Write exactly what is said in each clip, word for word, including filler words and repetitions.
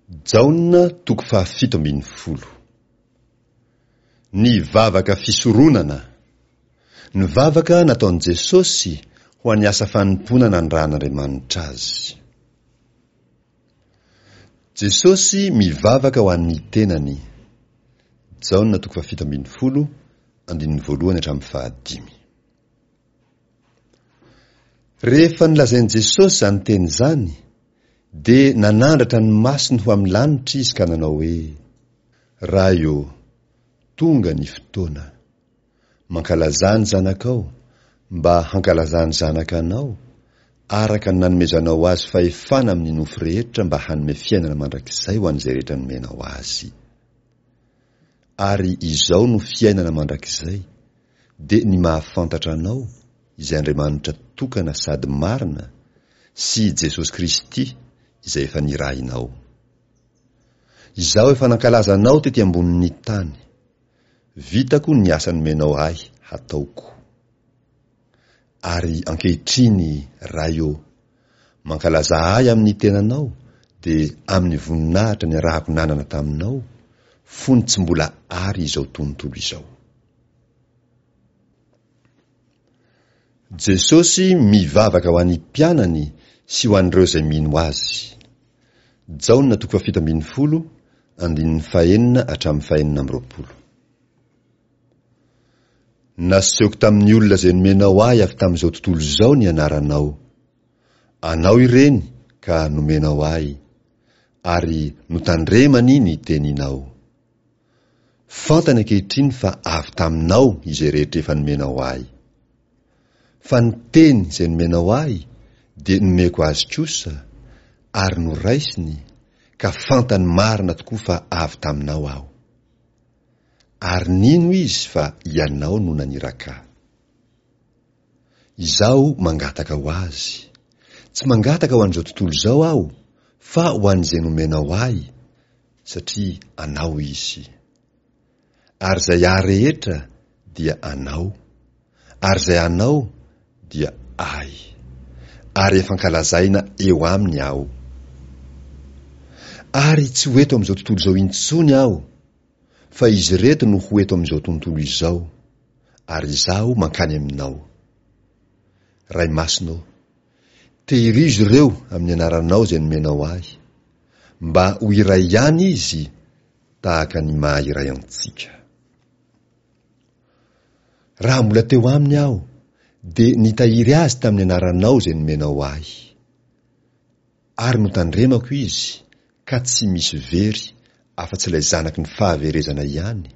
Jaona toko fahafito ambin'ny folo. Ny vavaka fisoronana. Ny vavaka nataon'i Jesosy ho an'ny asa fanompoana nanirahan'Andriamanitra azy. Jesosy mivavaka ho an'ny tenany. Jaona toko fahafito ambin'ny folo, andininy voalohany hatramin'ny fahadimy. Rehefa nolazain'i Jesosy izany teny izany, dia nanandratra ny masony ho amin'ny lanitra izy ka nanao hoe, Ray ô, tonga ny fotoana. Mankalazà ny Zanakao, mba hankalazan'ny Zanaka anao, araka ny nanomezanao azy fahefana amin'ny nofo rehetra mba hanome fiainana mandrakizay ho an'izay rehetra nomenao azy. Ary izao no fiainana mandrakizay, dia ny mahafantatra anao, izay Andriamanitra tokana sady marina, sy Jesosy Kristy, izay efa nirahinao. Izaho efa nankalaza anao tety ambonin'ny tany. Vitako ny asa nomenao ahy hataoko. Ary ankehitriny, Ray ô, mankalazà ahy amin'ny tenanao, dia amin'ny voninahitra niarahako nanana taminao, fony tsy mbola ary izao tontolo izao. Jesosy mivavaka ho an'ny mpianany sy ho an'ireo izay mino Azy. Jaona toko fahafito ambin'ny folo, andininy fahenina hatramin'ny fahenina amby roapolo. Nasehoko tamin'ny olona izay nomenao ahy avy tamin'izao tontolo izao ny anaranao. Anao ireny ka nomenao ahy, ary notandremany ny teninao. Fantany ankehitriny fa avy taminao izay rehetra efa nomenao ahy. Fa ny teny izay nomenao ahy dia nomeko azy kosa, ary noraisiny, ka fantany marina tokoa fa avy taminao aho. Ary nino izy fa ianao no naniraka ahy. Izaho mangataka ho azy. Tsy mangataka ho an'izao tontolo izao aho, fa ho an'izay nomenao ahy, satria anao izy. Ary izay ahy rehetra dia anao, ary izay anao dia ahy. Ary efa ankalazaina eo aminy aho. Ary tsy ho eto amin'izao tontolo izao intsony aho, fa izy ireto no ho eto amin'izao tontolo izao, ary izaho mankany aminao. Ray Masina ô, tehirizo ireo amin'ny anaranao izay nomenao ahy, mba ho iray ihany izy tahaka ny maha iray antsika. Raha mbola teo aminy aho, dia nitahiry azy tamin'ny anaranao izay nomenao ahy. Ary notandremako izy, ka tsy misy very afa-tsy ilay zanaky ny fahaverezana ihany,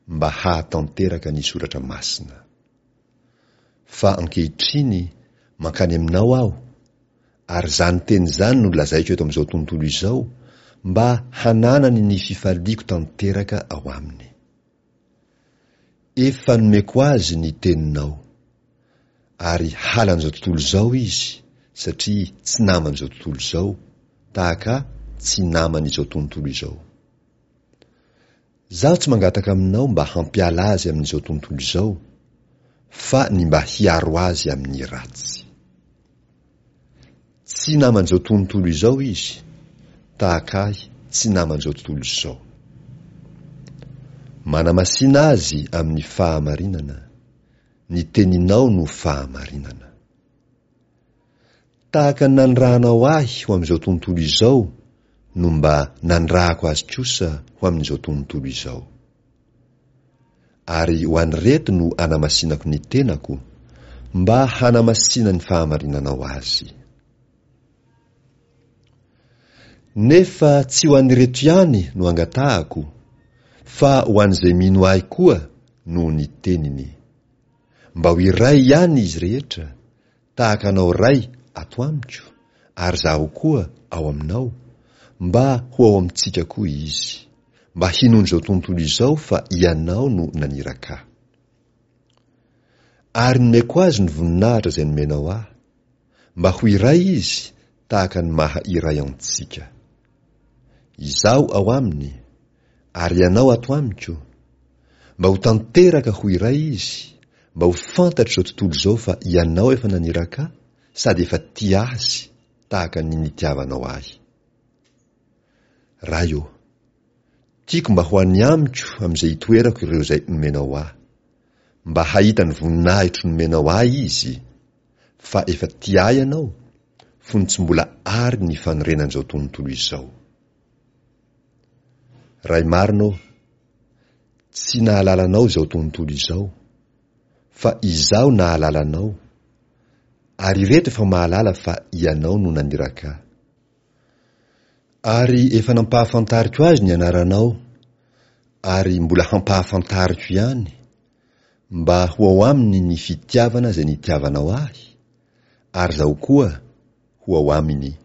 mba hahatanteraka ny soratra masina. Fa ankehitriny mankany aminao aho, ary izany teny izany no lazaiko eto amin'izao tontolo izao, mba hananany ny fifaliako tanteraka ao aminy. Efa nomeko azy ny teninao, ary halan'izao tontolo izao izy, satria tsy naman'izao tontolo izao, tahaka ahy tsy naman'izao tontolo izao. Zaho tsy mangataka aminao mba hampiala azy amin'izao tontolo izao, fa ny mba hiaro azy amin'ny ratsy. Tsy naman'izao tontolo izao izy, tahaka ahy tsy naman'izao tontolo izao. Manamasina azy amin'ny fahamarinana, ny teninao no fahamarinana. Tahaka ny nanirahanao ahy ho amin'izao tontolo izao no mba nanirahako azy kosa ho amin'izao tontolo izao. Ary ho an'ireto no anamasinako ny tenako, mba hanamasinan'ny fahamarinanao azy. Nefa tsy ho an'ireto ihany no angatahako, fa ho an'izay mino ahy koa noho ny teniny. Mba ho iray ihany izy rehetra, tahaka anao Ray ato amiko, ary izaho koa ao aminao, mba ho ao amintsika koa izy, mba hinoan'izao tontolo izao fa Ianao no naniraka ahy. Ary nomeko azy ny voninahitra izay nomenao ahy, mba ho iray izy tahaka ny maha iray antsika. Izaho ao aminy, ary Ianao ato amiko, mba ho tanteraka ho iray izy, mba ho fantatr'izao tontolo izao fa Ianao efa naniraka ahy sady efa tia azy tahaka ny nitiavanao ahy. Ray ô, tiako mba ho any amiko amin'izay itoerako ireo izay nomenao ahy, mba hahita ny voninahitro nomenao ahy izy, fa efa tia ahy ianao, fony tsy mbola ary ny fanorenan'izao tontolo izao. Ray marina ô, tsy nahalala anao izao tontolo izao, fa izaho nahalala anao, ary ireto efa mahalala fa ianao no naniraka ahy. Ary efa nampahafantariko azy ny anaranao, ary mbola hampahafantariko ihany, mba ho ao aminy ny fitiavana izay nitiavanao ahy, ary izaho koa ho ao aminy.